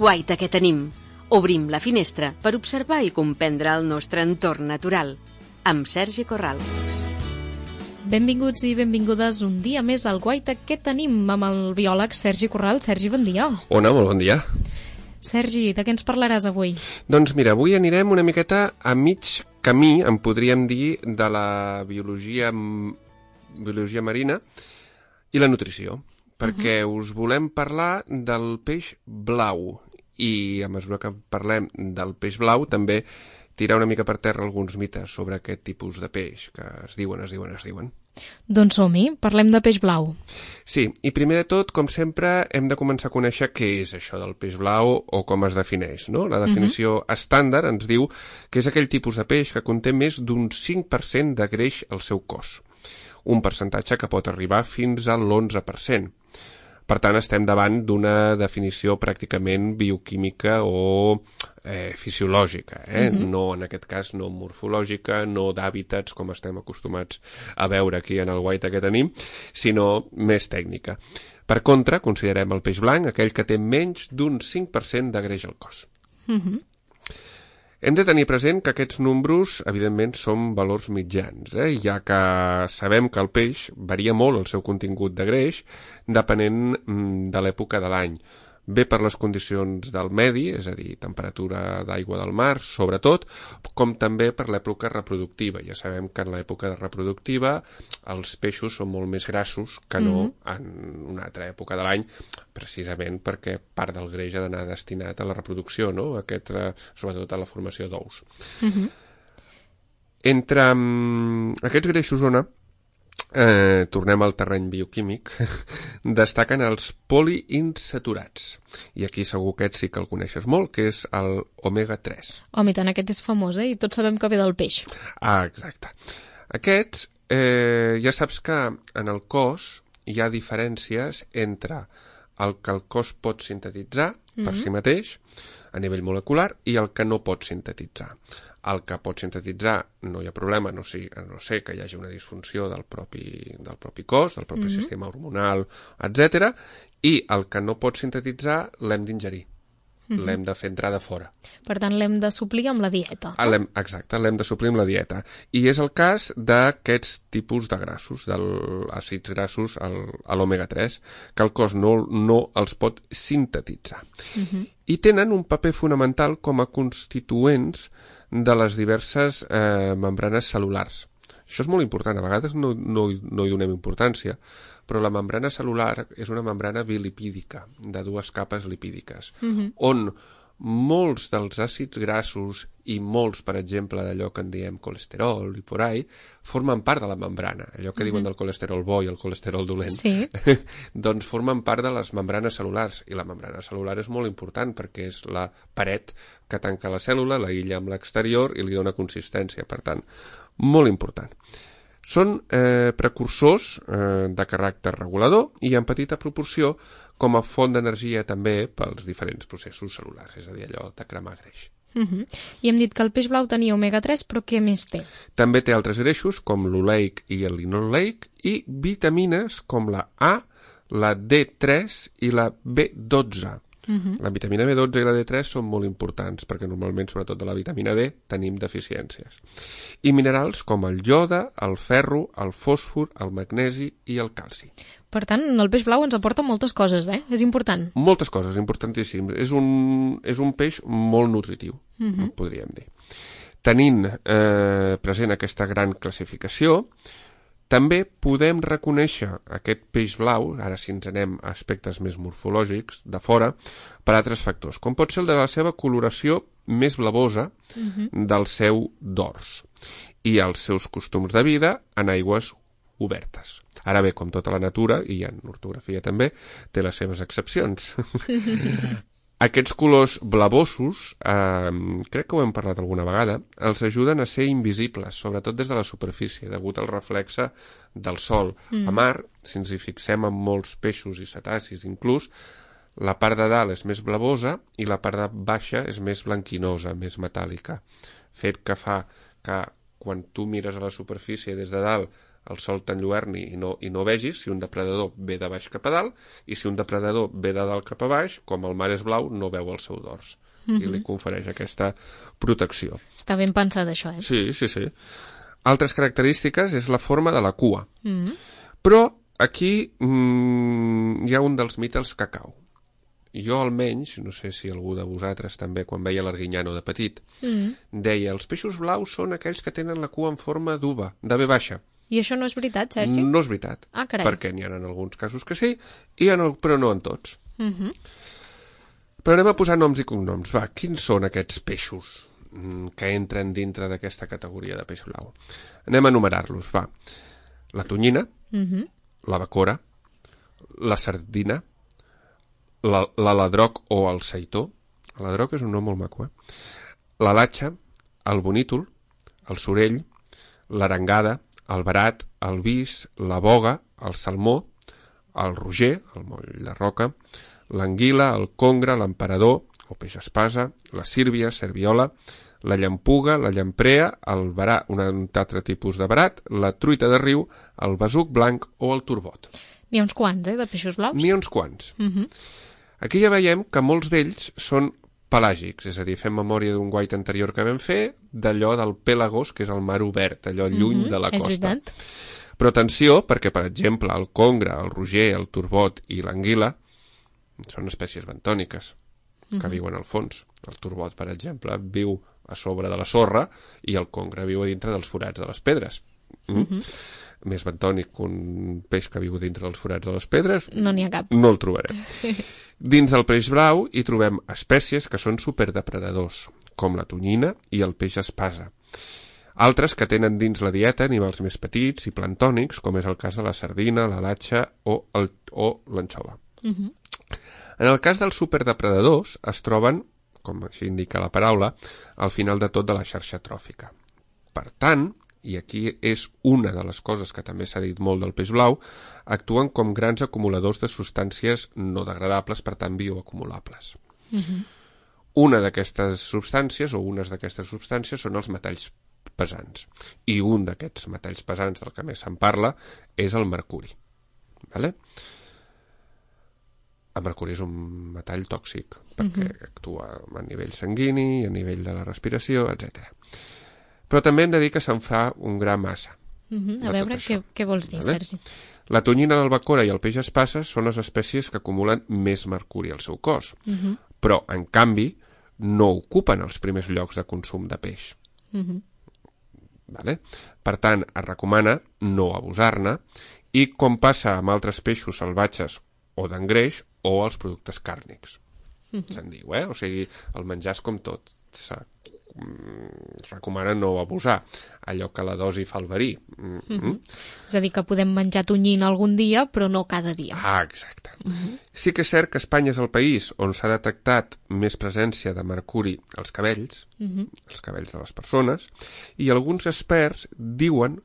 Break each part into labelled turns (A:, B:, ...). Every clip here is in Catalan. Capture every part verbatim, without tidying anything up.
A: Guaita que tenim. Obrim la finestra per observar i comprendre el nostre entorn natural. Amb Sergi Corral.
B: Benvinguts i benvingudes un dia més al Guaita que tenim amb el biòleg Sergi Corral. Sergi, bon dia.
C: Hola, molt bon dia.
B: Sergi, de què ens parlaràs avui?
C: Doncs mira, avui anirem una miqueta a mig camí, en podríem dir, de la biologia, biologia marina i la nutrició, perquè uh-huh. us volem parlar del peix blau. I a mesura que parlem del peix blau també tirar una mica per terra alguns mites sobre aquest tipus de peix que es diuen, es diuen, es diuen.
B: Doncs som-hi, parlem de peix blau.
C: Sí, i primer de tot, com sempre, hem de començar a conèixer què és això del peix blau o com es defineix, no? La definició uh-huh. estàndard ens diu que és aquell tipus de peix que conté més d'un cinc per cent de greix al seu cos, un percentatge que pot arribar fins a l'onze per cent. Per tant, estem davant d'una definició pràcticament bioquímica o eh, fisiològica, eh? Uh-huh. No, en aquest cas, no morfològica, no d'hàbitats, com estem acostumats a veure aquí en el Guaita que tenim, sinó més tècnica. Per contra, considerem el peix blanc aquell que té menys d'un cinc per cent de greix al cos. Uh-huh. Hem de tenir present que aquests números, evidentment, són valors mitjans, eh? Ja que sabem que el peix varia molt el seu contingut de greix depenent mm, de l'època de l'any. Bé per les condicions del medi, és a dir, temperatura d'aigua del mar, sobretot, com també per l'època reproductiva. Ja sabem que en l'època reproductiva els peixos són molt més grassos que no mm-hmm. en una altra època de l'any, precisament perquè part del greix ha d'anar destinat a la reproducció, no? Aquest, sobretot a la formació d'ous. Mm-hmm. Entre um, aquests greixos ona, Eh, tornem al terreny bioquímic, destaquen els poliinsaturats. I aquí segur que sí que el coneixes molt, que és el omega tres.
B: Home, i tant, aquest és famós, eh? I tots sabem que ve del peix.
C: Ah, exacte. Aquests, eh, ja saps que en el cos hi ha diferències entre el que el cos pot sintetitzar mm-hmm. per si mateix, a nivell molecular, i el que no pot sintetitzar. El que pot sintetitzar no hi ha problema, no sé, no sé que hi hagi una disfunció del propi, del propi cos, del propi mm-hmm. sistema hormonal, etcètera. I el que no pot sintetitzar l'hem d'ingerir, mm-hmm. l'hem de fer entrar de fora.
B: Per tant, l'hem de suplir amb la dieta.
C: Ah, l'hem, exacte, l'hem de suplir amb la dieta. I és el cas d'aquests tipus de grassos, dels àcids grassos, el, l'omega tres, que el cos no, no els pot sintetitzar. Mm-hmm. I tenen un paper fonamental com a constituents de les diverses eh, membranes cel·lulars. Això és molt important, a vegades no, no, no hi donem importància, però la membrana cel·lular és una membrana bilipídica, de dues capes lipídiques, mm-hmm. on molts dels àcids grassos i molts, per exemple, d'allò que en diem colesterol i por ahí, formen part de la membrana. Allò que mm-hmm. diuen del colesterol bo i el colesterol dolent,
B: sí.
C: doncs formen part de les membranes cel·lulars. I la membrana cel·lular és molt important perquè és la paret que tanca la cèl·lula, la illa amb l'exterior i li dona consistència. Per tant, molt important. Són eh, precursors eh, de caràcter regulador i en petita proporció com a font d'energia també pels diferents processos cel·lulars, és a dir, allò de cremar greix.
B: Uh-huh. I hem dit que el peix blau tenia omega tres, però què més té?
C: També té altres greixos com l'oleic i el linoleic i vitamines com la A, la D tres i la B dotze. Uh-huh. La vitamina B dotze i la D tres són molt importants perquè normalment, sobretot de la vitamina D, tenim deficiències. I minerals com el iode, el ferro, el fòsfor, el magnesi i el calci.
B: Per tant, el peix blau ens aporta moltes coses, eh? És important.
C: Moltes coses, importantíssim. És un, és un peix molt nutritiu, uh-huh. podríem dir. Tenint eh, present aquesta gran classificació, també podem reconèixer aquest peix blau, ara si ens anem a aspectes més morfològics, de fora, per altres factors, com pot ser el de la seva coloració més blavosa uh-huh. del seu dors i els seus costums de vida en aigües obertes. Ara bé, com tota la natura, i en ortografia també, té les seves excepcions. Aquests colors blavosos, eh, crec que ho hem parlat alguna vegada, els ajuden a ser invisibles, sobretot des de la superfície, degut al reflexe del sol. Mm. A mar, si ens hi fixem en molts peixos i cetacis inclús, La part de dalt és més blavosa i la part de baixa és més blanquinosa, més metàl·lica, fet que fa que quan tu mires a la superfície des de dalt el sol t'enlluerni i no, i no vegis si un depredador ve de baix cap a dalt i si un depredador ve de dalt cap a baix, com el mar és blau, no veu el seu dors. Mm-hmm. I li confereix aquesta protecció.
B: Està ben pensat això, eh?
C: Sí, sí, sí. Altres característiques és la forma de la cua.
B: Mm-hmm.
C: Però aquí mm, hi ha un dels mites que cau. Jo almenys, no sé si algú de vosaltres també, quan veia l'Arguinyano de petit, mm-hmm. deia, els peixos blaus són aquells que tenen la cua en forma d'uva, de ve baixa.
B: I això no és veritat, Sergi?
C: No és veritat,
B: ah,
C: perquè n'hi ha en alguns casos que sí, i en el, però no en tots.
B: Mm-hmm.
C: Però anem a posar noms i cognoms. Va, quins són aquests peixos que entren dintre d'aquesta categoria de peix blau? Anem a enumerar-los, va. La tonyina,
B: mm-hmm.
C: la bacora, la sardina, la, la ladroc o el seitó. El ladroc és un nom molt maco, eh? La latxa, el bonítol, el sorell, l'arengada, el verat, el vis, la boga, el salmó, el roger, el moll de roca, l'anguila, el congre, l'emperador, o peix espasa, la sírbia, serviola, la llampuga, la llamprea, el verat, un altre tipus de verat, la truita de riu, el besuc blanc o el turbot.
B: N'hi ha uns quants, eh, de peixos blaus?
C: N'hi ha uns quants.
B: Uh-huh.
C: Aquí ja veiem que molts d'ells són pelàgics, és a dir, fem memòria d'un guait anterior que vam fer, d'allò del Pélagos, que és el mar obert, allò lluny mm-hmm, de la costa. Però atenció, perquè, per exemple, el congre, el roger, el turbot i l'anguila són espècies bentòniques que mm-hmm. viuen al fons. El turbot, per exemple, viu a sobre de la sorra i el congre viu a dintre dels forats de les pedres. Mm? Mm-hmm. Més bentònic que un peix que viu dintre dels forats de les pedres,
B: no n'hi ha cap.
C: No el trobarem. Dins del peix blau hi trobem espècies que són superdepredadors, com la tonyina i el peix espasa. Altres que tenen dins la dieta animals més petits i plantònics, com és el cas de la sardina, la latxa o, el, o l'anxova.
B: Uh-huh.
C: En el cas dels superdepredadors es troben, com així indica la paraula, al final de tot de la xarxa tròfica. Per tant, i aquí és una de les coses que també s'ha dit molt del peix blau, actuen com grans acumuladors de substàncies no degradables, per tant bioacumulables. Uh-huh. Una d'aquestes substàncies, o unes d'aquestes substàncies, són els metalls pesants. I un d'aquests metalls pesants del que més se'n parla és el mercuri. Vale? El mercuri és un metall tòxic, perquè uh-huh. actua a nivell sanguini, a nivell de la respiració, etcètera. Però també hem de dir que se'n fa un gra massa.
B: Uh-huh. A veure, què, què vols dir, vale? Sergi?
C: La tonyina, l'albacora i el peix espasa són les espècies que acumulen més mercuri al seu cos, uh-huh. però, en canvi, no ocupen els primers llocs de consum de peix. Uh-huh. Vale? Per tant, es recomana no abusar-ne, i com passa amb altres peixos salvatges o d'engreix o els productes càrnics. Uh-huh. Se'n diu, eh? O sigui, el menjar és com tot. S'ha es recomana no abusar, allò que la dosi fa el verí. Mm-hmm.
B: Mm-hmm. És a dir, que podem menjar tonyina algun dia, però no cada dia.
C: Ah, exacte. Mm-hmm. Sí que és cert que Espanya és el país on s'ha detectat més presència de mercuri als cabells, mm-hmm. els cabells de les persones, i alguns experts diuen,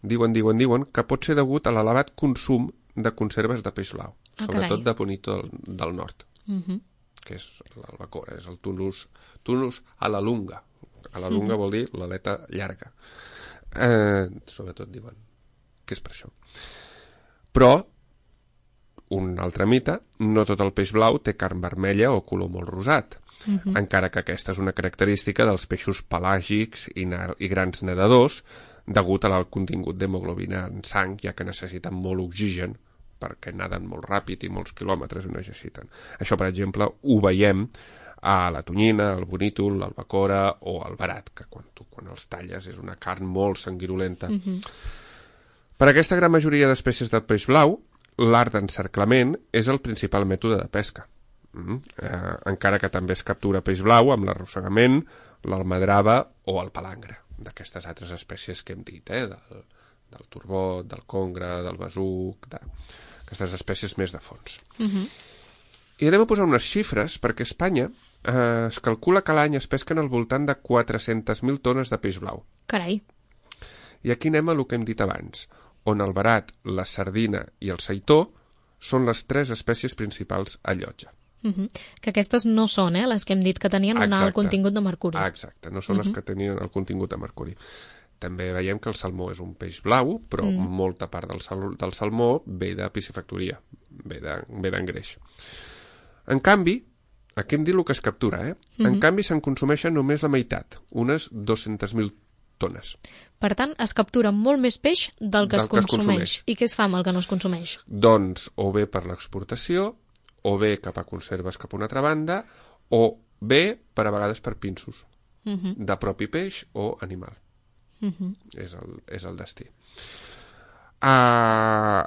C: diuen, diuen, diuen, que pot ser degut a l'elevat consum de conserves de peix blau, ah, sobretot carai. De bonito del, del nord. Mm-hmm. Que és l'albacora, és el tunus, tunus a la lunga. A la lunga mm-hmm. vol dir l'aleta llarga. Eh, sobretot diuen que és per això. Però, un altre mite, no tot el peix blau té carn vermella o color molt rosat, mm-hmm. encara que aquesta és una característica dels peixos pelàgics i, i grans nedadors, degut a l'alt contingut d'hemoglobina en sang, ja que necessiten molt oxigen, perquè naden molt ràpid i molts quilòmetres ho necessiten. Això, per exemple, ho veiem a la tonyina, el bonítol, l'albacora o el verat, que quan, tu, quan els talles és una carn molt sanguirolenta. Mm-hmm. Per aquesta gran majoria d'espècies del peix blau, l'art d'encerclament és el principal mètode de pesca. Mm-hmm. Eh, encara que també es captura peix blau amb l'arrossegament, l'almadrava o el palangre, d'aquestes altres espècies que hem dit, eh, del, del turbot, del congre, del besuc, d'aquestes espècies més de fons. Mm-hmm. I anem a posar unes xifres, perquè a Espanya eh, es calcula que l'any es pesquen al voltant de quatre-centes mil tones de peix blau.
B: Carai.
C: I aquí anem a el que hem dit abans, on el verat, la sardina i el seitó són les tres espècies principals a llotja.
B: Uh-huh. Que aquestes no són eh, les que hem dit que tenien un alt contingut de mercuri.
C: Exacte, no són uh-huh. les que tenien el contingut de mercuri. També veiem que el salmó és un peix blau, però mm. molta part del, sal, del salmó ve de piscifactoria, ve d'engreix. En canvi, aquí hem dit el que es captura, eh? Mm-hmm. En canvi, se'n consumeixen només la meitat, unes dues-centes mil tones.
B: Per tant, es captura molt més peix del que, del es, consumeix. que es consumeix. I què es fa amb el que no es consumeix?
C: Doncs, o bé per l'exportació, o bé cap a conserves cap a una altra banda, o bé, per a vegades, per pinsos, mm-hmm. de propi peix o animal. Uh-huh. És, el, és el destí. Uh,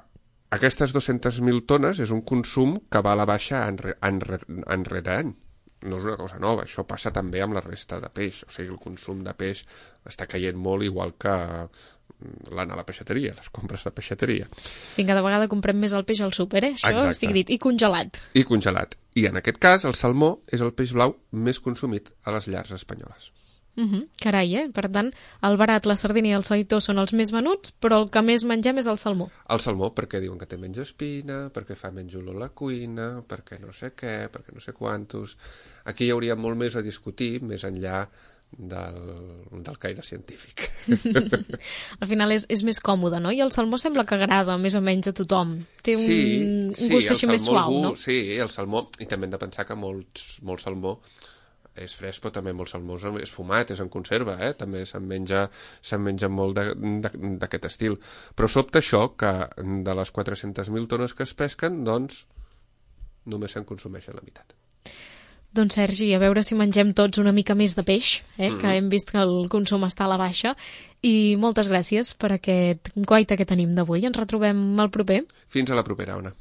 C: aquestes dues-centes mil tones és un consum que va a la baixa any, any, any rere any. No és una cosa nova, això passa també amb la resta de peix. O sigui, el consum de peix està caient molt, igual que l'anar a la peixateria, les compres de peixateria.
B: Sí, cada vegada comprem més el peix al súper, eh? Això
C: Exacte.
B: Estic dit. I congelat.
C: I congelat. I en aquest cas, el salmó és el peix blau més consumit a les llars espanyoles.
B: Uh-huh. Carai, eh? Per tant, el barat, la sardina i el salitó són els més venuts, però el que més mengem és el salmó.
C: El salmó, perquè diuen que té menys espina, perquè fa menys olor a la cuina, perquè no sé què, perquè no sé quantos... Aquí hi hauria molt més a discutir, més enllà del, del caire científic.
B: Al final és, és més còmode, no? I el salmó sembla que agrada més o menys a tothom. Té un,
C: sí,
B: un
C: sí,
B: gust així més suau,
C: gust,
B: no?
C: Sí, el salmó, i també hem de pensar que molts, molt salmó és fresc, però també molt salmó és fumat, és en conserva, eh? També se'n menja, se'n menja molt d'aquest estil. Però sobta això, que de les quatre-centes mil tones que es pesquen, doncs, només se'n consumeixen la meitat.
B: Doncs Sergi, a veure si mengem tots una mica més de peix, eh? Mm-hmm. Que hem vist que el consum està a la baixa. I moltes gràcies per aquest guaita que tenim d'avui. Ens retrobem el proper.
C: Fins a la propera, Ona.